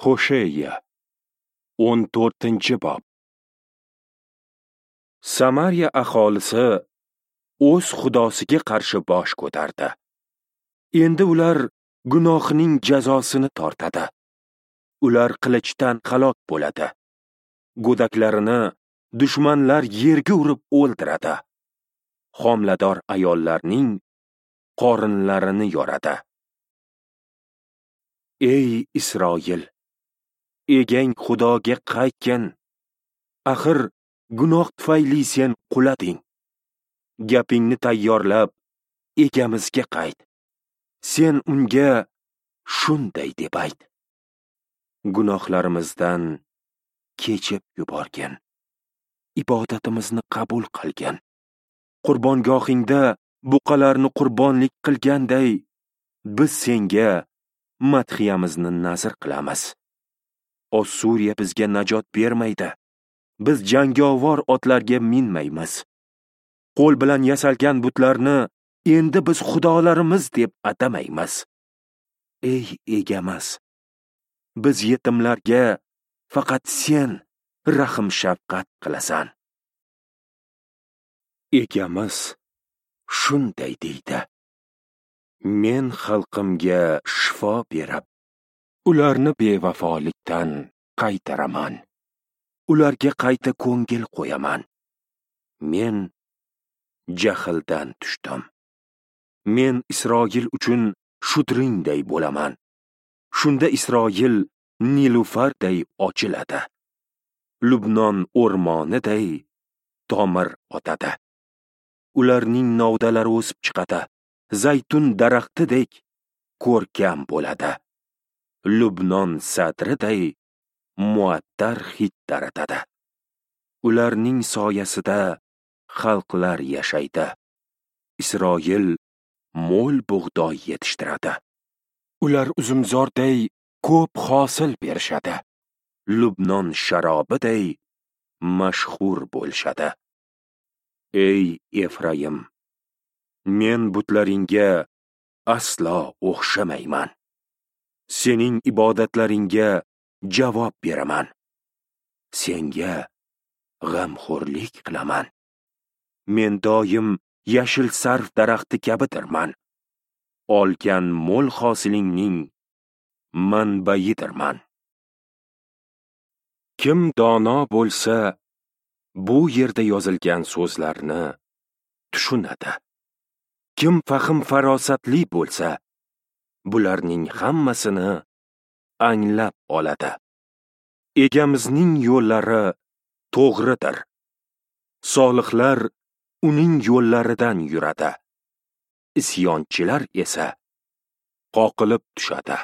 Hosheya 14-bob. Samariya aholisi o'z xudosiga qarshi bosh ko'tardi. Endi ular gunohining jazosini tortadi. Ular qilichdan halok bo'ladi. Go'daklarini dushmanlar yerga urib o'ldiradi. Homilador ayollarning qorinlarini yoradi. Ey Isroil, egang Xudoga qaytgin. Axir gunoh tufayli sen qulading. Gapingni tayyorlab, egamizga qayt. Sen unga shunday deb ayt: gunohlarimizdan kechib yuborgin. Ibodatimizni qabul qilgin. Qurbongohingda buqalarni qurbonlik qilganday, biz senga madhiyamizni nazr qilamiz. Ossuriya bizga najot bermaydi. Biz jangovar otlarga minmaymiz. Qo'l bilan yasalgan butlarni endi biz xudolarimiz deb atamaymiz. Ey egamiz, biz yetimlarga faqat sen rahm shafqat qilasan. Egamiz shunday deydi: men xalqimga shifo berib, ularni bevafolikdan qaytaraman. Ularga qayta ko'ngil qo'yaman. Men jahldan tushdim. Men Isroil uchun shudringday bo'laman. Shunda Isroil nilufarday ochiladi. Lubnon o'rmoniday tomir otadi. Ularning novdalari o'sib chiqadi. Zaytun daraxtidek ko'rkam bo'ladi. Lubnon sadriday muattar hid taratadi. Ularning soyasida xalqlar yashaydi. Isroil mo'l bug'doy yetishtiradi. Ular uzumzorday ko'p hosil berishadi. Lubnon sharobiday mashhur bo'lishadi. Ey Efraim, men butlaringga aslo o'xshamayman. Sening ibodatlaringga javob beraman. Senga g'amxo'rlik qilaman. Men doim yashil sarv daraxti kabidirman. Olgan mo'l hosilingning manbayidirman. Kim dono bo'lsa, bu yerda yozilgan so'zlarni tushunadi. Kim fahm farosatli bo'lsa, bularning hammasini anglab oladi. Egamizning yo'llari to'g'ridir. Solihlar uning yo'llaridan yuradi. Isyonchilar esa qoqilib tushadi.